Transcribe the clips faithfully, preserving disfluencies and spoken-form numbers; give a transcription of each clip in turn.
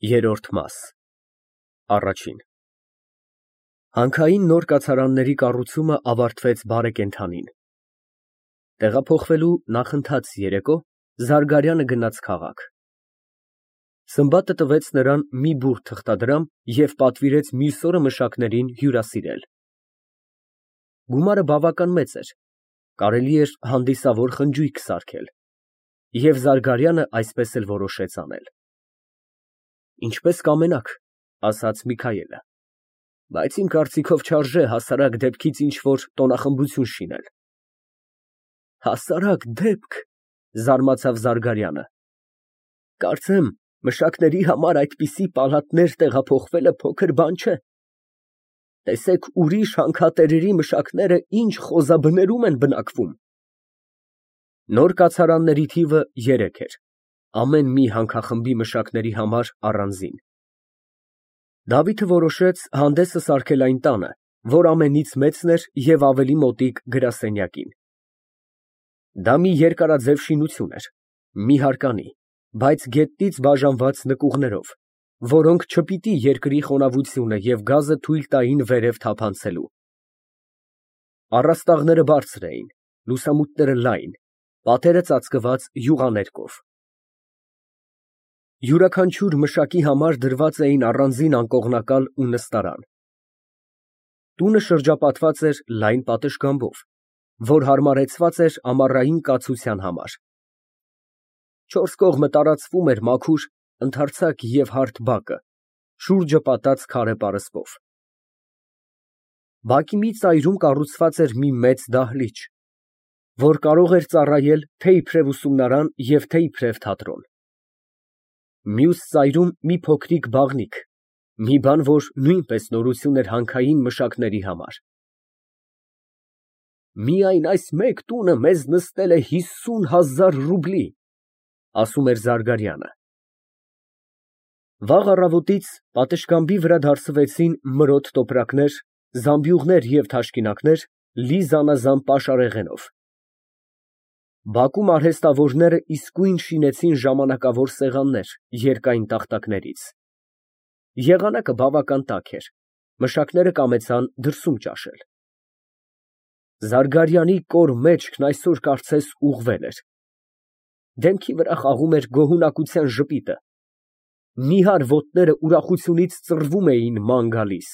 Երրորդ մաս Առաջ Հանքային նոր կացարանների կառուցումը ավարտվեց բարեկենդանին։ Տեղափոխվելու նախընթաց երեկո Զարգարյանը գնաց քաղաք։ Սմբատը տվեց նրան մի բուռ թղթադրամ և պատվիրեց մյուս օրը մշակներին հյուրասիրել։ Գումարը բավական մեծ էր, կարելի էր հանդիսավոր խնջույք սարքել, և Զարգարյանը այսպես էլ որոշեց անել։ Ինչպես կամենաք, ասաց Միքայելը, բայց իմ կարծիքով չարժե հասարակ դեպքից ինչ֊որ տոնախմբություն շինել։ Հասարակ դեպք, զարմացավ Զարգարյանը, կարծեմ մշակների համար այդպիսի պալատներ տեղափոխվելը փոքր բան չէ։ Տեսեք ուրիշ հանքատերերի մշակները ինչ խոզաբներում են բնակվում։ Նոր կացարանների թիվը երեք էր, ամեն մի հանքախմբի մշակների համար առանձին։ Դավիթը որոշեց հանդեսը սարքել այն տանը, որ ամենից մեծն էր և ավելի մոտիկ գրասենյակին։ Դա մի երկարաձև շինություն էր, մի հարկանի, բայց գետնից բաժանված նկուղներով, որոնք չպիտի երկրի խոնավությունը և գազը թույլ տային վերև թափանցելու։ Առաստաղները բարձր էին, լուսամուտները լայն, պատերը ծածկված յուղաներկով։ Յուրաքանչյուր մշակի համար դրված էին առանձին անկողնակալ ու նստարան։ Տունը շրջապատված էր լայն պատշգամբով, որ հարմարեցված էր ամառային կացության համար։ Չորս կողմը տարածվում էր մաքուր, ընդարձակ և հարթ բակը, շուրջը պատած քարե պարսպով։ Բակի մի ծայրում կառուցված էր մի մեծ դահլիճ, որ կարող էր ծառայել թե՛ իբրև ուսումնարան և թե՛ իբրև թատրոն։ Մյուս ծայրում մի փոքրիկ բաղնիք, մի բան, որ նույնպես նորություն էր հանքային մշակների համար։ Միայն այս մեկ տունը մեզ նստել է հիսուն հազար ռուբլի, ասում էր Զարգարյանը։ Վաղ առավոտից պատշգամբի վրա դարսվեցին մրոտ տոպրակներ, զամբյուղներ և թաշկինակներ լի զանազան պաշարեղենով։ Բակում արհեստավորները իսկույն շինեցին ժամանակավոր սեղաններ երկայն տախտակներից։ Եղանակը բավական տաք էր, մշակները կամեցան դրսում ճաշել։ Զարգարյանի կոր մեջքն այսօր կարծես ուղղվել էր։ Դեմքի վրա խաղում էր գոհունակության ժպիտը, նիհար ոտները ուրախությունից ծռվում էին ման գալիս։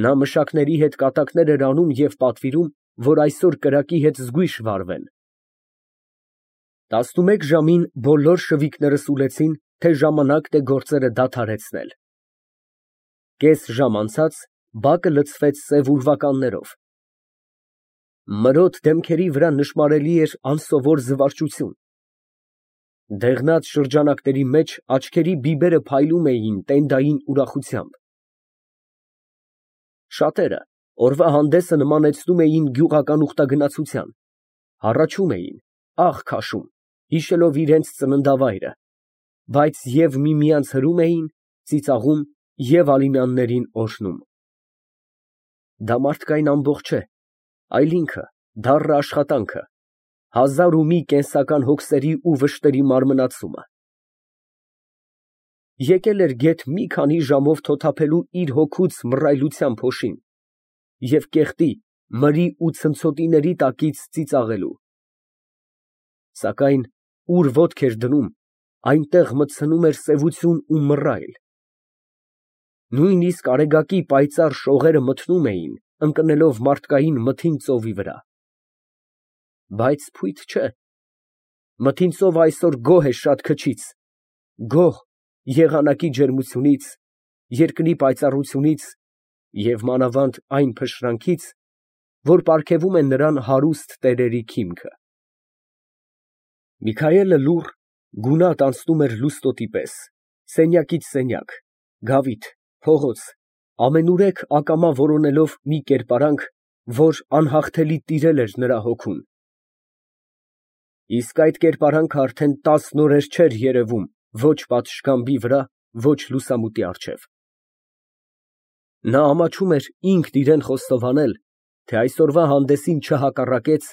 Նա մշակների հետ կատակներ էր անում և պատվիրում, որ այսօր կրակի հետ զգույշ վարվեն։ Տասնմեկ ժամին բոլոր շվիկները սուլեցին, թե ժամանակն է գործերը դադարեցնել։ Կես ժամ անցած բակը լցվեց սև ուրվականներով։ Մրոտ դեմքերի վրա նշմարելի էր անսովոր զվարճություն։ Դեղնած շրջանակների մեջ աչքերի բիբերը փայլում էին տենդային ուրախությամբ։ Շատերը օրվա հանդեսը նմանեցնում էին գյուղական ուխտագնացության, հառաչում էին, աղ քաշում, հիշելով իրենց ծննդավայրը, բայց և միմյանց հրում էին, ծիծաղում և Ալինյաններին օրհնում։ Դա մարդկային ամբոխ չէ, այլ ինքը, դառն աշխատանքը, հազար ու մի կենսական հոգսերի ու վշտերի մարմնացումը։ Եկել էր գեթ մի քանի ժամով թոթափելու իր հոգուց մռայլության փոշին և կեղտի, մրի ու ցնցոտիների տակից ծիծաղելու։ Սակայն ուր ոտք էր դնում, այնտեղ մտցնում էր սևություն ու մռայլ։ Նույնիսկ արեգակի պայծառ շողերը մթնում էին, ընկնելով մարդկային մթին ծովի վրա։ Բայց փույթ չէ, մթին ծովը այսօր գոհ է շատ քչից, գոհ եղանակի ջերմությունից, երկրի պայծառությունից և մանավանդ այն փշրանքից, որ պարգևում է նրան հարուստ տերերի քիմքը։ Միքայելը լուռ, գունատ անցնում էր լուստոտի պես, սենյակից սենյակ, գավիթ, փողոց, ամենուրեք ակամա որոնելով մի կերպարանք, որ անհաղթելի տիրել էր նրա հոգուն։ Իսկ այդ կերպարանքը արդեն տասն օրեր չէր երևում ոչ պատշգամբի վրա, ոչ լուսամուտի առջև։ Նա ամաչում էր ինքն իրան խոստովանել, թե այսօրվա հանդեսին չհակառակեց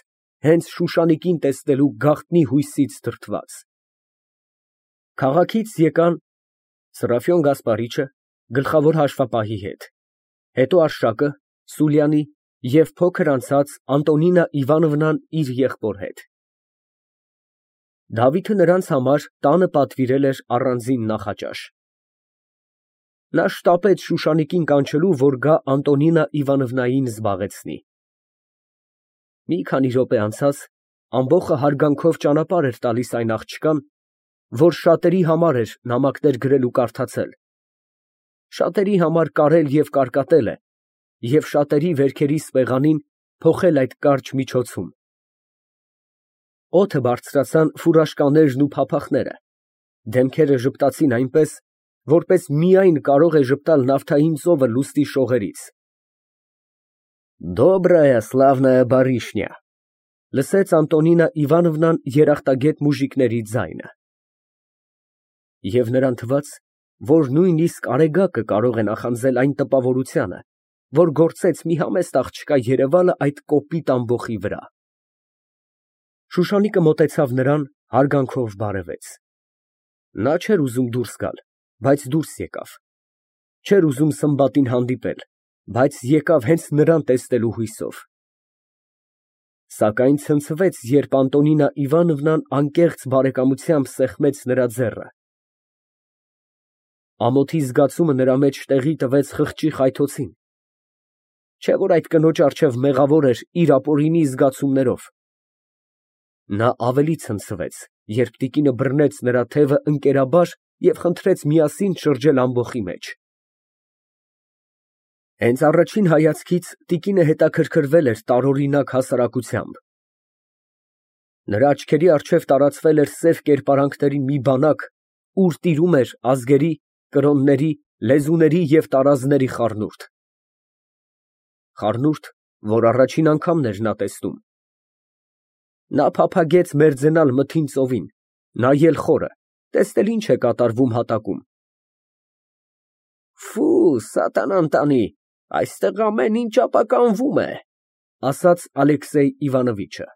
հենց Շուշանիկին տեսնելու գաղտնի հույսից դրդված։ Քաղաքից եկան Սրափիոն Գասպարիչը գլխավոր հաշվապահի հետ, հետո Արշակը, Սուլյանի և փոքր անցած Անտոնինա Իվանովնան իր եղբոր հետ։ Դավիթը նրանց համար տանը պատվիրել էր առանձին նախաճաշ։ Նա շտապեց Շուշանիկին կանչելու, որ գա Անտոնինա Իվանովնային զբաղեցնի։ Մի քանի րոպե անցած ամբոխը հարգանքով ճանապարհ էր տալիս այն աղջկան, որ շատերի համար էր նամակներ գրել ու կարդացել, շատերի համար կարել և կարկատել է և շատերի վերքերի սպեղանին փոխել այդ կարճ միջոցում։ Օդը բարձրացան ֆուրաշկաներն ու փափախները, դեմքերը ժպտացին այնպես, որպես միայն կարող է ժպտալ նավթային ծովը լուստի շողերից։ Դոբրայա սլավնայա բարիշնյա, լսեց Անտոնինա Իվանովնան երախտագետ մուժիկների ձայնը։ Եվ նրան թվաց, որ նույնիսկ արեգակը կարող է նախանձել այն տպավորությանը, որ գործեց մի համեստ աղջկա երևալը այդ կոպիտ ամբոխի վրա։ Շուշանիկը մոտեցավ նրան, հարգանքով բարևեց։ Նա չէր ուզում դուրս գալ, բայց դուրս եկավ, չէր ուզում Սմբատին հանդիպել, բայց եկավ հենց նրան տեսնելու հույսով։ Սակայն ցնցվեց, երբ Անտոնինա Իվանովնան անկեղծ բարեկամությամբ սեղմեց նրա ձեռքը։ Ամոթի զգացումը նրա մեջ տեղի տվեց խղճի խայթոցին, չէ՞ որ այդ կնոջ առջև մեղավոր էր իր ապօրինի զգացումներով։ Նա ավելի ցնցվեց, երբ տիկինը բռնեց նրա թևը ընկերաբար և խնդրեց միասին շրջել ամբոխի մեջ։ Հենց առաջին հայացքից տիկինը հետաքրքրվել էր տարօրինակ հասարակությամբ։ Նրա աչքերի առջև տարածվել էր սև կերպարանքների մի բանակ, ուր տիրում էր ազգերի, կրոնների, լեզուների և տարազների խառնուրդ։ Խառնուրդ, որ առաջին անգամն էր նա տեսնում։ Նա փափագեց մերձենալ մթին ծովին, նայել խորը, տեսնել ինչ է կատարվում հատակում։ Ֆի, սատանան տանի, այստեղ ամեն ինչ ապականվում է, ասաց Ալեքսեյ Իվանովիչը։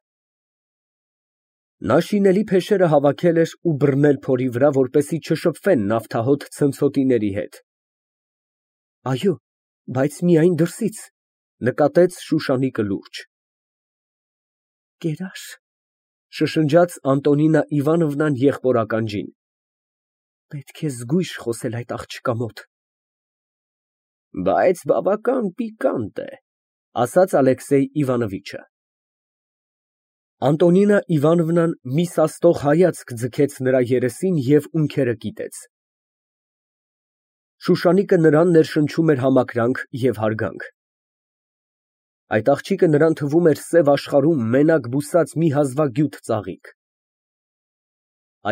Նա շինելի փեշերը հավաքել էր ու բռնել փորի վրա, որպեսզի չշփվեն նավթահոտ ցնցոտիների հետ։ Այո, բայց միայն դրսից, նկատեց Շուշանիկը լուրջ։ Կերա՞ր, շշնջաց Անտոնինա Իվանովնան եղբոր ականջին։ Պետք է զգույշ խոսել այդ աղջկա մոտ։ Բայց բավական պիկանտ է, ասաց Ալեքսեյ Իվանովիչը։ Անտոնինա Իվանովնան մի սաստող հայացք ձգեց նրա երեսին և ունքերը կիտեց։ Շուշանիկը նրան ներշնչում էր համակրանք և հարգանք։ Այդ աղջիկը նրան թվում էր սև աշխարհում մենակ բուսած մի հազվագյուտ ծաղիկ։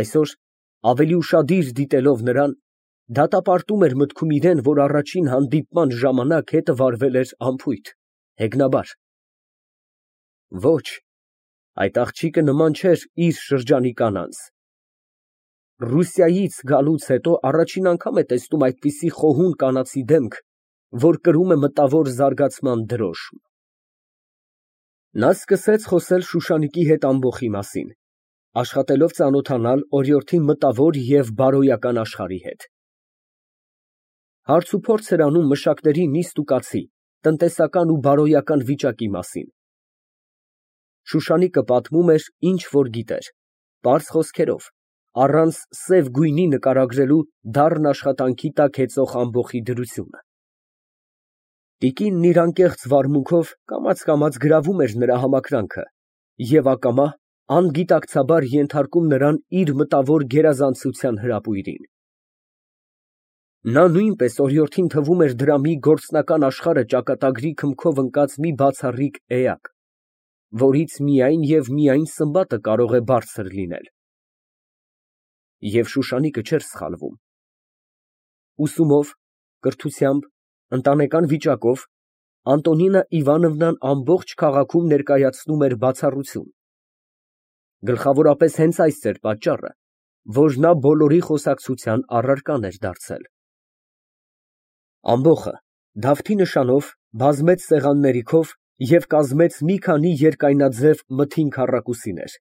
Այսօր, ավելի ուշադիր դիտելով նրան, դատապարտում էր մտքում իրան, որ առաջին հանդիպման ժամանակ հետը վարվել էր անփույթ, հեգնաբար։ Ոչ, այդ աղջիկը նման չէր իր շրջանի կանանց։ Ռուսիայից գալուց հետո առաջին անգամ է տեսնում այդպիսի խոհուն կանացի դեմք, որ կրում է մտավոր զարգացման դրոշմ։ Նա սկսեց խոսել Շուշանիկի հետ ամբոխի մասին, աշխատելով ծանոթանալ օրիորդի մտավոր և բարոյական աշխարհի հետ։ Հարցուփորձ էր անում մշակների նիստ ու կացի, տնտեսական ու բարոյական վիճակի մասին։ Շուշանիկը պատմում էր, ինչ որ գիտեր, պարզ խոսքերով, առանց սև գույնի նկարագրելու դառն աշխատանքի տակ հեծող ամբոխի դրությունը։ Տիկինն իր անկեղծ վարմունքով կամաց֊կամաց գրավում էր նրա համակրանքը և ակամա անգիտակցաբար ենթարկում նրան իր մտավոր գերազանցության հրապույրին։ Նա նույնպես օրիորդին թվում էր դրամի գործնական աշխարհը ճակատագրի քմքով ընկած մի բացառիկ էակ, որից միայն և միայն Սմբատը կարող է բարձր լինել։ Եվ Շուշանիկը չէր սխալվում։ Ուսումով, կրթությամբ, ընտանեկան վիճակով Անտոնինա Իվանովնան ամբողջ քաղաքում ներկայացնում էր բացառություն։ Գլխավորապես հենց այս էր պատճառը, որ նա բոլորի խոսակցության առարկան էր դարձել։ Ամբոխը Դավթի նշանով բազմեց սեղանների քով և կազմեց մի քանի երկայնաձև մթին քառակուսիներ։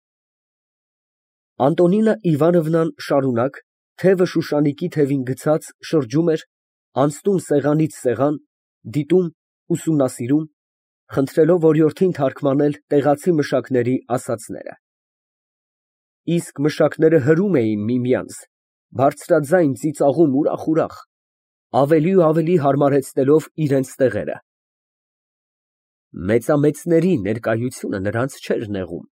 Անտոնինա Իվանովնան շարունակ Թևը շուշանիկի թևին գցած շրջում էր, անցնում սեղանից սեղան, դիտում, ուսումնասիրում, խնդրելով օրիորդին թարգմանել տեղացի մշակների ասածները։ Իսկ մշակները հրում էին միմյանց, բարձրաձայն ծիծաղում ուրախ֊ուրախ, ավելի ու ավելի հարմարեցնելով իրենց տեղերը։ Մեծամեծների ներկայությունը նրանց չէր նեղում։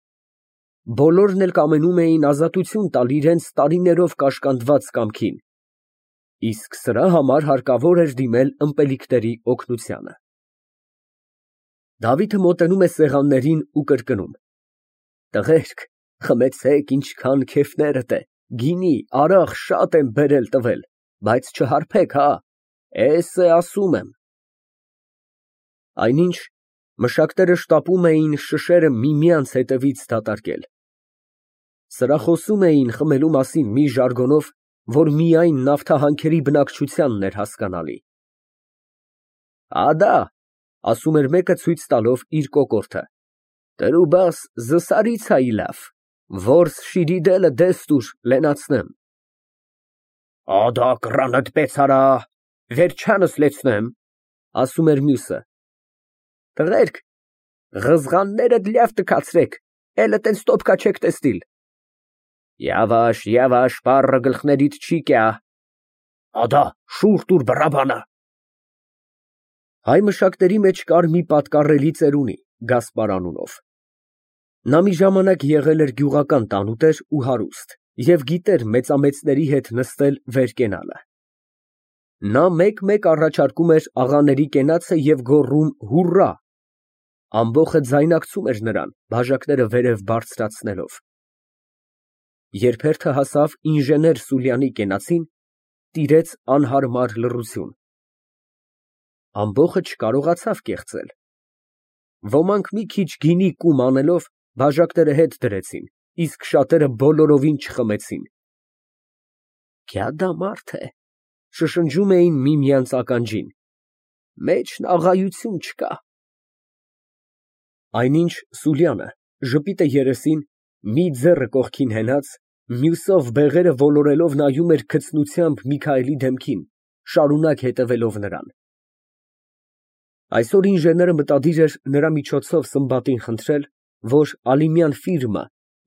Բոլորն էլ կամենում էին ազատություն տալ իրենց տարիներով կաշկանդված կամքին, իսկ սրա համար հարկավոր էր դիմել ըմպելիքների օգնությանը։ Դավիթը մոտենում է սեղաններին ու կրկնում. «Տղերք, խմեցեք, ինչքան քեֆներդ է, գինի, արաղ շատ եմ բերել տվել, բայց չհարբեք, հա, էս է ասում եմ»։ Այնինչ մշակները շտապում էին շշերը միմյանց հետևից դատարկել։ Սրա խոսում էին խմելու մասին մի ժարգոնով, որ միայն նավթահանքերի բնակչությանն էր հասկանալի։ «Ադա», ասում էր մեկը ցույց տալով իր կոկորդը, «Տրու բաս զսարիցայիլավ, որս շիրիդելը դեստուր լենացնեմ»։ «Ադա կռանդ պեցարա, վերջանս լեցնեմ», ասում էր մյուսը։ «Տղերք, ղզղաններդ լյավ տքացրեք, էլը տենց տոպկա չեք տեսնիլ»։ «Յավաշ, յավաշ, պառը գլխներիդ չի կյա»։ «Ադա, շուռ տուր բռաբանը»։ Հայ մշակների մեջ կար մի պատկառելի ծերունի Գասպար անունով։ Նա մի ժամանակ եղել էր գյուղական տանուտեր ու հարուստ և գիտեր մեծամեծների հետ նստել վեր կենալը։ Նա մեկ֊մեկ առաջարկում էր աղաների կենացը և գոռում «հուռա»։ Ամբոխը ձայնակցում էր նրան, բաժակները վերև բարձրացնելով։ Երբ հերթը հասավ ինժեներ Սուլյանի կենացին, տիրեց անհարմար լռություն։ Ամբոխը չկարողացավ կեղծել։ Ոմանք մի քիչ գինի կում անելով բաժակները հետ դրեցին, իսկ շատերը բոլորովին չխմեցին։ «Գյադա մարդ է», շշնջում էին միմյանց ականջին, «մեջն աղայություն չկա»։ Այնինչ Սուլյանը, ժպիտը երեսին, մի ձեռը կողքին հենած, մյուսով բեղերը ոլորելով նայում էր գցնությամբ Միքայելի դեմքին, շարունակ հետևելով նրան։ Այսօր ինժեները մտադիր էր նրա միջոցով Սմբատին խնդրել, որ Ալիմյան ֆիրմը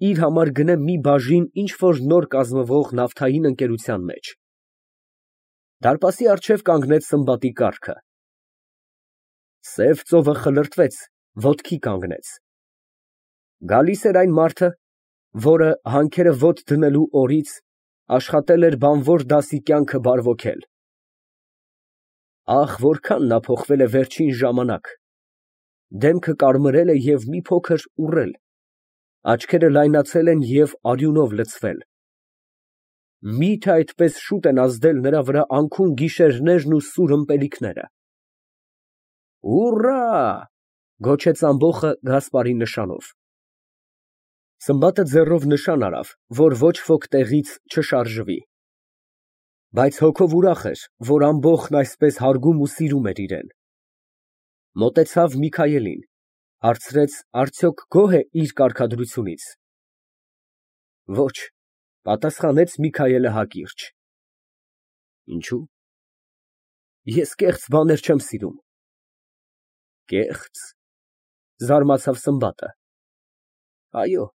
իր համար գնե մի բաժին ինչ֊որ նոր կազմվող նավթային ընկերության մեջ։ Դարպասի առջև կանգնեց Սմբատի կառքը։ Սև ծովը խլրտվեց, ոտքի կանգնեց։ Գալիս էր այն մարդը, որը հանքերը ոտ դնելու օրից աշխատել էր բանվոր դասի կյանքը բարվոքել։ Ահ, որքան նա փոխվել է վերջին ժամանակ, դեմքը կարմրել է և մի փոքր ուռել, աչքերը լայնացել են և արյունով լցվել։ Մի՞թե այդպես շուտ են ազդել նրա վրա անքուն գիշերներն ու սուր ըմպելիքները։ «Հուռա», գոչեց ամբոխը Գասպարի նշանով։ Սմբատը ձեռով նշան արավ, որ ոչ ոք տեղից չշարժվի։ Բայց հոգով ուրախ էր, որ ամբոխն այսպես հարգում ու սիրում էր իրեն։ Մոտեցավ Միքայելին, հարցրեց արդյոք գոհ է իր կարգադրությունից։ Ոչ, պատասխանեց Միքայելը հակիրճ։ Ինչո՞ւ։ Ես կեղծ բաներ չեմ սիրում։ Կեղծ, զարմացավ Սմբատը։ Այո,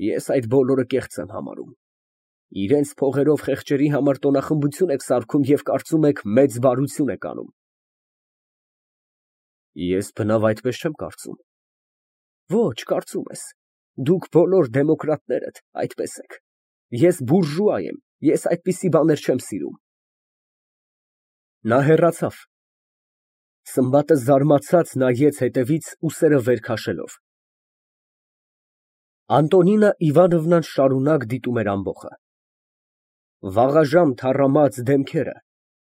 ես այդ բոլորը կեղծ եմ համարում։ Իրենց փողերով խեղճերի համար տոնախմբություն եք սարքում և կարծում եք մեծ բարություն եք անում։ Ես բնավ այդպես չեմ կարծում։ Ոչ, կարծում ես, դուք բոլոր դեմոկրատներդ այդպես եք։ Ես բուրժուա եմ, ես այդպիսի բաներ չեմ սիրում։ Նա հեռացավ։ Սմբատը զարմացած նայեց հետևից, ուսերը վեր քաշելով։ Անտոնինա Իվանովնան շարունակ դիտում էր ամբոխը։ Վաղաժամ թառամած դեմքերը,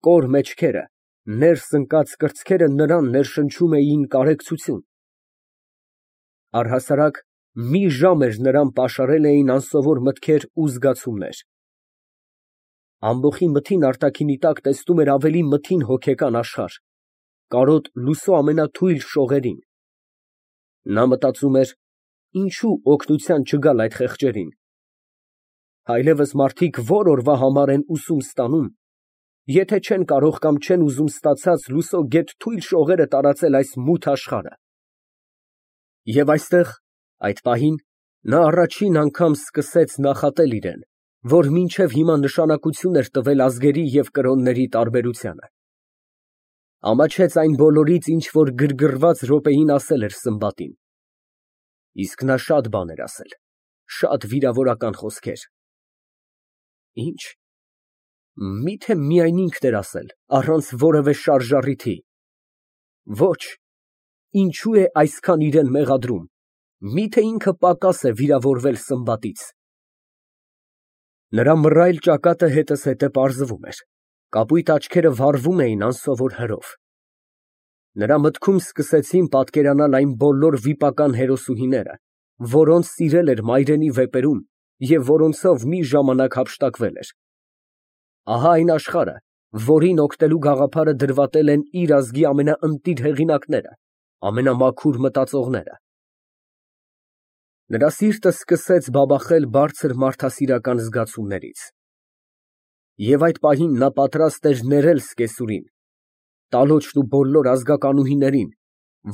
կոր մեջքերը, ներս ընկած կրծքերը նրան ներշնչում էին կարեկցություն։ Առհասարակ մի ժամ էր նրան պաշարել էին անսովոր մտքեր ու զգացումներ։ Ամբոխի մթին արտաքինի տակ տեսնում էր ավելի մթին հոգեկան աշխարհ, կարոտ լուսո ամենաթույլ շողերին։ Նա մտածում էր. ինչո՞ւ օգնության չգալ այդ խեղճերին։ Այլևս մարդիկ ո՞ր օրվա համար են ուսում ստանում, եթե չեն կարող կամ չեն ուզում ստացած լուսո գեթ թույլ շողերը տարածել այս մութ աշխարհը։ Եվ այստեղ, այդ պահին, նա առաջին անգամ սկսեց նախատել իրան, որ մինչև հիմա նշանակություն էր տվել ազգերի և կրոնների տարբերությանը։ Ամաչեց այն բոլորից, ինչ որ գրգռված րոպեին ասել էր Սմբատին։ Իսկ նա շատ բան էր ասել, շատ վիրավորական խոսքեր։ Ի՞նչ։ Մի՞թե միայն ինքն էր ասել, առանց որևէ շարժառիթի։ Ոչ, ինչու է այսքան իրան մեղադրում, մի՞թե ինքը պակաս է վիրավորվել Սմբատից։ Նրա մռայլ ճակատը հետզհետե պարզվում էր, կապույտ աչքերը վառվում էին անսովոր հրով։ Նրա մտքում սկսեցին պատկերանալ այն բոլոր վիպական հերոսուհիները, որոնց սիրել էր մայրենի վեպերում և որոնցով մի ժամանակ հափշտակվել էր։ Ահա այն աշխարհը, որին օգնելու գաղափարը դրվատել են իր ազգի ամենաընտիր հեղինակները, ամենամաքուր մտածողները։ Նրա սիրտը սկսեց բաբախել բարձր մարդասիրական զգացումներից։ Եվ այդ պահին նա պատրաստ էր ներել սկեսուրին, տալոչն ու բոլոր ազգականուհիներին,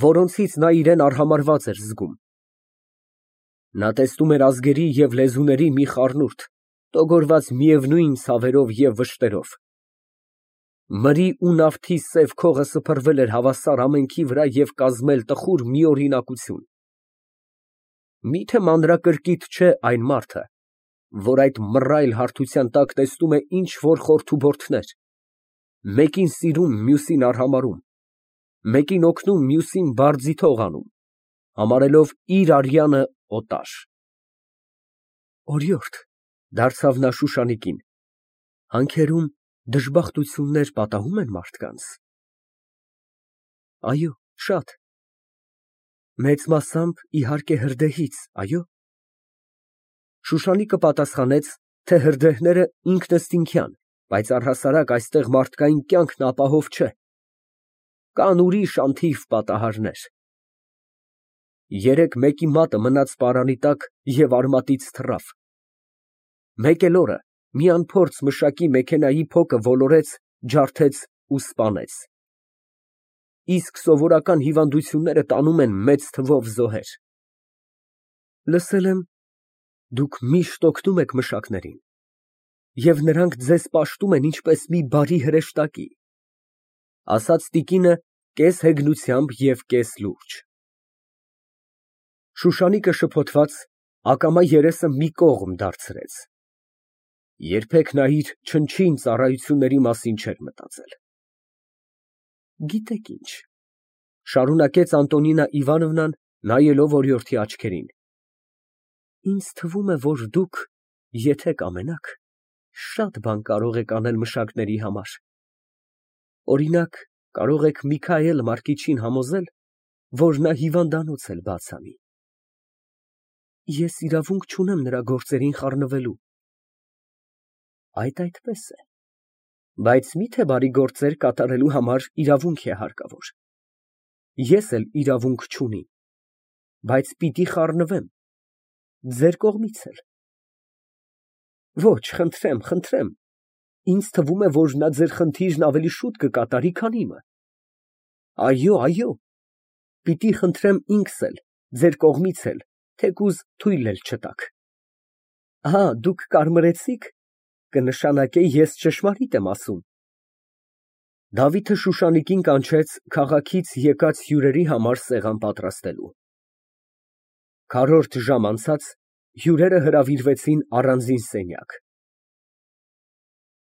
որոնցից նա իրան արհամարհված էր զգում։ Նա տեսնում էր ազգերի և լեզուների մի խառնուրդ, տոգորված միևնույն ցավերով և վշտերով։ Մրի ու նավթի սև քողը սփռվել էր հավասար ամենքի վրա և կազմել տխուր միօրինակություն։ Մի՞թե մանրակրկիտ չէ այն մարդը, որ այդ մռայլ հարթության տակ տեսնում է ինչ֊որ խորթուբորթներ, մեկին սիրում, մյուսին արհամարհում, մեկին օգնում, մյուսին բարձիթող անում, համարելով իր արյանը օտար։ Օրիորդ, դարձավ նա Շուշանիկին, հանքերում դժբախտություններ պատահում են մարդկանց։ Այո, շատ։ Մեծ մասամբ, իհարկե, հրդեհից, այո։ Շուշանիկը պատասխանեց, թե հրդեհները ինքնըստինքյան, բայց առհասարակ այստեղ մարդկային կյանքն ապահով չէ։ Կան ուրիշ անթիվ պատահարներ։ Երեկ մեկի մատը մնաց պարանի տակ և արմատից թռավ։ Մեկ էլ օրը մի անփորձ մշակի մեքենայի փոկը ոլորեց, ջարդեց ու սպանեց։ Իսկ սովորական հիվանդությունները տանում են մեծ թվով զոհեր։ Լսել եմ, դուք միշտ օգնում եք մշակներին, և նրանք ձեզ պաշտում են ինչպես մի բարի հրեշտակի, ֊ ասաց տիկինը կես հեգնությամբ և կես լուրջ։ Շուշանիկը շփոթված, ակամա երեսը մի կողմ դարձրեց։ Երբեք նա իր չնչին ծառայությունների մասին չէր մտածել։ Գիտեք ինչ, ֊ շարունակեց Անտոնինա Իվանովնան, նայելով օրիորդի աչքերին, ինձ թվում է, որ դուք, եթե կամենաք, շատ բան կարող եք անել մշակների համար։ Օրինակ, կարող եք Միքայել Մարկիչին համոզել, որ նա հիվանդանոց էլ բաց անի։ Ես իրավունք չունեմ նրա գործերին խառնվելու։ Այդ այդպես է, բայց մի՞թե բարի գործեր կատարելու համար իրավունք է հարկավոր։ Ես էլ իրավունք չունիմ, բայց պիտի խառնվեմ, ձեր կողմից էլ։ Ոչ, խնդրեմ, խնդրեմ, ինձ թվում է, որ նա ձեր խնդիրն ավելի շուտ կկատարի, քան իմը։ Այո, այո, պիտի խնդրեմ ինքս էլ, ձեր կողմից էլ, թեկուզ թույլ էլ չտաք։ Ահա, դուք կարմրեցի՞ք, կնշանակե ես ճշմարիտ եմ ասում։ Դավիթը Շուշանիկին կանչեց քաղաքից եկած հյուրերի համար սեղան պատրաստելու։ Քառորդ ժամ անցած հյուրերը հրավիրվեցին առանձին սենյակ։